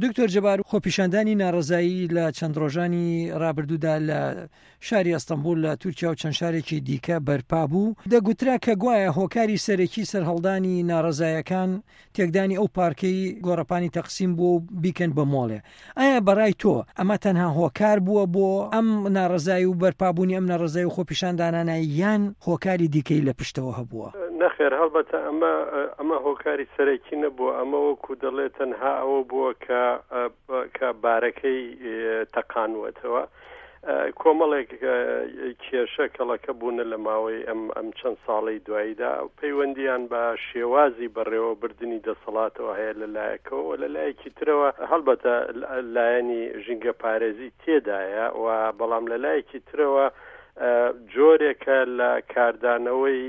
دکتۆر جەبار خۆپیشاندانی ناڕەزایی لە چەند ڕۆژانی ڕابردوودا لە شاری ئەستەنبوڵ لە تورکیا و چەند شارێکی دیکە بەرپا بوو، دەگوترا کە گوایە هۆکاری سەرەکی سەرهەڵدانی ناڕەزایەکان تێکدانی ئەو پارکەی گۆڕەپانی تەقسیم بووە و بیکەن بە مۆڵێ. ئایا بەڕای تۆ ئەمە تەنها هۆکار بووە بۆ ئەم ناڕەزایی و بەرپابوونی ئەم ناڕەزایی و خۆپیشاندانانە یان هۆکاری دیکەی لە پشتەوە هەبووە؟ نەخێر هەڵبەتە ئەمە ئەمە هۆکاری سەرەکی نەبووە، ئەمە وەکو دەڵێ تەنها ئەوە بووە کە کە بارەکەی تەقانووەتەوە. کۆمەڵێک کێشە کەڵەکە بوونە لە ماوەی ئەم ئەم چەند ساڵەی دواییدا پەیوەندیان بە شێوازی بەڕێوەبردنی دەسەڵاتەوە هەیە لە لایەکەوە و لە لایەکی ترەوە هەڵبەتە لایەنی ژینگەپارێزی تێدایە و بەڵام لە لایەکی ترەوە جۆرێکە لە کاردانەوەی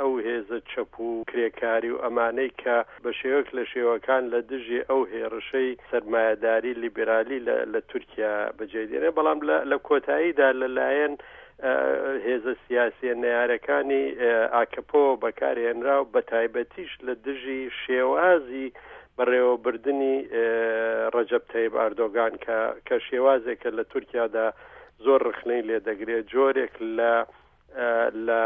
ئەو هێزە چەپ و کرێکاری و ئەمانەی کە بە شێوەک لە شێوەکان لە دژی ئەو هێڕشەی سەرمایەداری لیبرالی لە لە تورکیا بەجێ دێنێ بەڵام لە لە کۆتاییدا لە لایەن هێزە سیاسیە نەیارەکانی ئاکەپەوە بەکارهێنرا و بە تایبەتیش لە دژی شێوازی بەڕێوەبردنی ڕەجەب تەیب ئاردۆگان کە کە شێوازێکە لە تورکیادا زۆر ڕخنەی لێ دەگرێت جۆرێک لە لە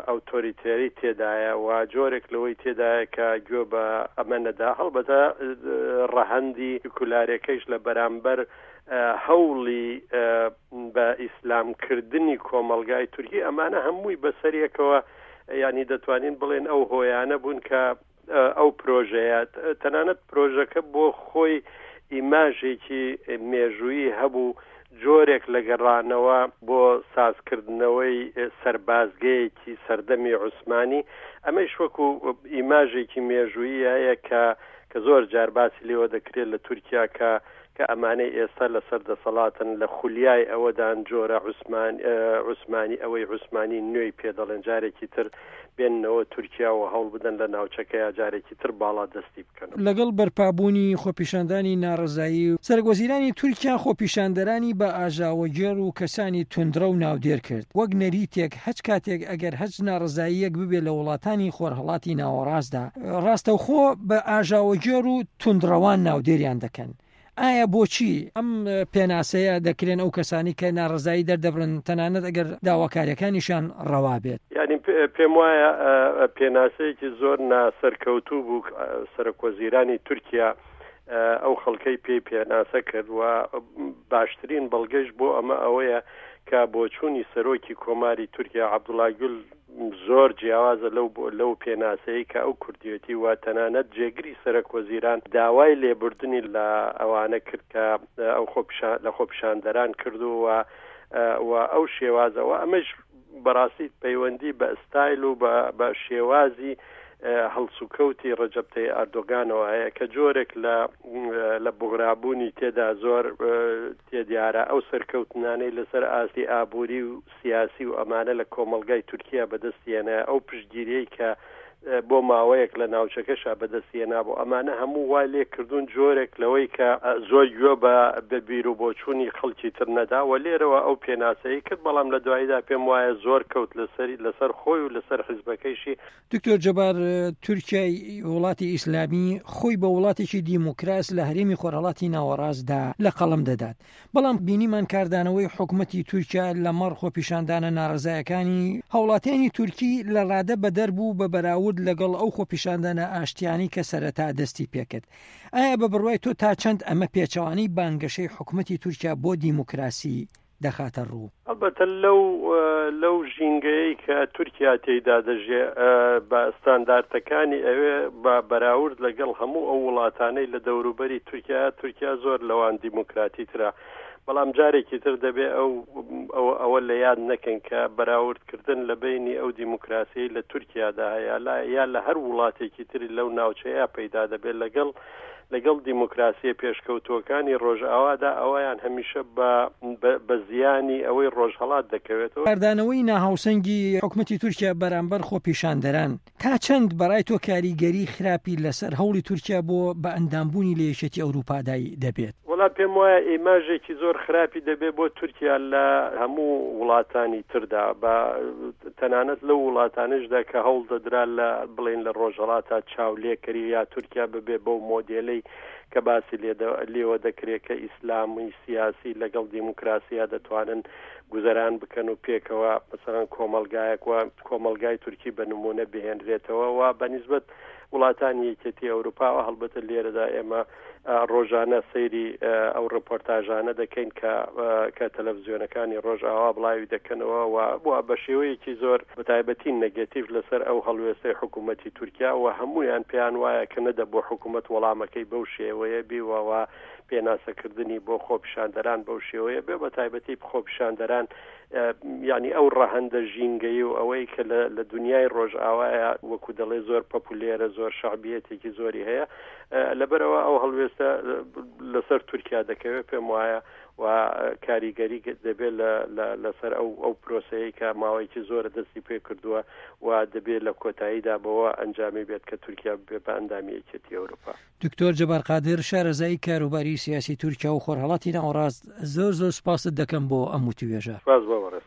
ئەوتۆریتێری تێدایە و جۆرێک لەوەی تێدایە کە گوێ بە ئەمە نەدا هەڵبەتە ڕەهەندی سکولارەکەیش لە بەرامبەر هەوڵی بە ئیسلامکردنی کۆمەڵگای تورکی ئەمانە هەمووی بەسەریەکەوە ینی دەتوانین بڵێن ئەو هۆیانە بوون کە ئەو پرۆژەیە تەنانەت پرۆژەکە بۆ خۆی ئیماژێکی مێژوویی هەبوو جۆرێک لە گەڕانەوە بۆ سازکردنەوەی سەربازگەیەکی سەردەمی عوسمانی ئەمەیش وەکو ئیماژێکی مێژوویی هەیە کە کە زۆر جار باسی لێوە دەکرێت لە تورکیا کە کە ئەمانەی ئێستا لەسەر دەسەڵاتن لە خولیای ئەوەدان جۆرە عوسمان عوسمانی ئەوەی عوسمانی نوێی پێ دەڵێن جارێکی تر بێننەوە تورکیا و هەوڵ بدەن لە ناوچەکەیا جارێکی تر باڵا دەستی بکەن. لەگەڵ بەرپابوونی خۆپیشاندانی ناڕەزایی، سەرۆکوەزیرانی تورکیا خۆپیشاندەرانی بە ئاژاوەگێڕ و کەسانی توندڕەو ناودێر کرد، وەک نەریتێک هەچ کاتێک ئەگەر هەچ ناڕەزاییەک ببێ لە وڵاتانی خۆرهەڵاتی ناوەڕاستدا ڕاستەوخۆ بە ئاژاوەگێڕ و توندڕەوان ناودێریان دەکەن. ئایا بۆچی ئەم پێناسەیە دەکرێن ئەو کەسانی کە ناڕەزایی دەردەبرن تەنانەت ئەگەر داواکاریەکانیشان ڕەوا بێت؟ یانی پێم وایە پێناسەیەکی زۆر ناسەرکەوتوو بوو سەرۆکوەزیرانی تورکیا ئەو خەڵکەی پێی پێناسە کرد و باشترین بەڵگەش بۆ ئەمە ئەوەیە کە بۆچوونی سەرۆکی کۆماری تورکیا عەبدوڵا گول زۆر جیاوازە لەو لەو پێناسەی کە ئەو کوردیەتی و تەنانەت جێگری سەرەک وەزیران داوای لێبوردنی لە ئەوانە کرد کە ئەو خۆپیشان لە خۆپیشاندەران کردو و و ئەو شێوازەوە ئەمەش بەڕاستی پەیوەندی بە ستایل و بە شێوازی هەڵسوکەوتی ڕەجەب تەیب ئەردۆگانەوە هەیە کە جۆرێک لە لە بوغرابوونی تێدا زۆر تێدیارە ئەو سەرکەوتنانەی لەسەر ئاستی ئابووری و سیاسی و ئەمانە لە کۆمەڵگای تورکیا بەدەستی هێنایە، ئەو پشتگیریەی کە بۆ ماوەیەک لە ناوچەکەشا بەدەستی هێنابوو، ئەمانە هەموو وای لێ کردوون جۆرێک لەوەی کە زۆر گوێ بە بە بیروبۆچوونی خەڵکی تر نەدا و لێرەوە ئەو پێناسەی کرد، بەڵام لە دواییدا پێم وایە زۆر کەوت لەسەری لەسەر خۆی و لەسەر حیزبەکەیشی. دکتۆر جەبار، تورکیای وڵاتی ئیسلامی خۆی بە وڵاتێکی دیموکراس لە هەرێمی خۆرهەڵاتی ناوەڕاستدا لە قەڵەم دەدات، بەڵام بینیمان کاردانەوەی حکومەتی تورکیا لەمەڕ خۆپیشاندانە ناڕەزایەکانی هاوڵاتیانی تورکی لە ڕادە بەدەر بوو بە بەراورد لەگەڵ ئەو خۆپیشاندانە ئاشتیانەی کە سەرەتا دەستی پێکرد. ئایا بە بڕوای تۆ تا چەند ئەمە پێچەوانەی بانگەشەی حکومەتی تورکیا بۆ دیموکراسی دەخاتە ڕوو؟ هەڵبەتە لەو لەو ژینگەیەی کە تورکیا تێیدا دەژێ بە ستاندارتەکانی ئەوێ بە بەراورد لەگەڵ هەموو ئەو وڵاتانەی لە دەوروبەری تورکیا تورکیا زۆر لەوان دیموکراتی ترە بەڵام جارێکی تر دەبێ ئەو ئەوە ئەوە لە یاد نەکەن کە بەراوردکردن لە بینی ئەو دیموکراسیەی لە تورکیادا هەیە لا یا لە هەر وڵاتێکی تری لەو ناوچەیە پەیدا دەبێت لەگەڵ لەگەڵ دیموکراسییە پێشکەوتووەکانی ڕۆژئاوادا ئەویان هەمیشە بە بە زیانی ئەوەی ڕۆژهەڵات دەکەوێتەوە. کاردانەوەی ناهاوسەنگی حکومەتی تورکیا بەرامبەر خۆپیشاندەران تا چەند بەڕای تۆ کاریگەری خراپی لەسەر هەوڵی تورکیا بۆ بە ئەندامبوونی لە یەکێتی ئەوروپادای دەبێت؟ وەڵا پێم وایە ئیماژێکی زۆر خراپی دەبێ بۆ تورکیا لە هەموو وڵاتانی تردا بە تەنانەت لەو وڵاتانشدا کە هەوڵ دەدرا لە بڵێن لە ڕۆژهەڵاتا چاولێکەری یا تورکیا ببێ بەو مۆدێلەی کە باسی لێوە دەکرێت کە ئیسلامی سیاسی لەگەڵ دیموکراسیا دەتوانن گوزەران بکەن و پێکەوە مەسەلەن کۆمەڵگایەک و کۆمەڵگای تورکی بە نمونە بهێنرێتەوە و بە نیسبەت وڵاتانی یەکێتی ئەوروپاوە هەڵبەتە لێرەدا ئێمە ڕۆژانە سەیری ئەو ڕپۆرتاژانە دەکەین کە کە تەلەڤزیۆنەکانی ڕۆژئاوا بڵاوی دەکەنەوە و بۆ بە شێوەیەکی زۆر بەتایبەتی نەگەتیڤ لەسەر ئەو هەڵوێستەی حکوومەتی تورکیا و هەمویان پێیان وایە کە نەدەبوو حکوومەت وەڵامەکەی بەو شێوەیە بیوە و پێناسەکردنی بۆ خۆپیشاندەران بەو شێوەیە بێ بە تایبەتی خۆپیشاندەران یعنی ئەو ڕەهەندە ژینگەی و ئەوەی کە لە دنیای ڕۆژئاوایە وەکو دەڵێ زۆر پەپولێرە زۆر شعبیەتێکی زۆری هەیە لەبەرەوە ئەو هەڵوێستە لەسەر تورکیا دەکەوێت پێم وایە و کاریگەری دەبێت لەسەر ئەو ئەو پرۆسەیە کە ماوەیەکی زۆرە دەستی پێ کردووە و دەبێت لە کۆتاییدا بەوە ئەنجامی بێت کە تورکیا بێ بە ئەندامی یەکێتی ئەوروپا. دکتۆر جەبار قادر شارەزای کاروباری سیاسی تورکیا و خۆرهەڵاتی ناوەڕاست زۆر زۆر سپاست دەکەم بۆ ئەم وتوێژە. سپاس بۆ بەڕێزتان.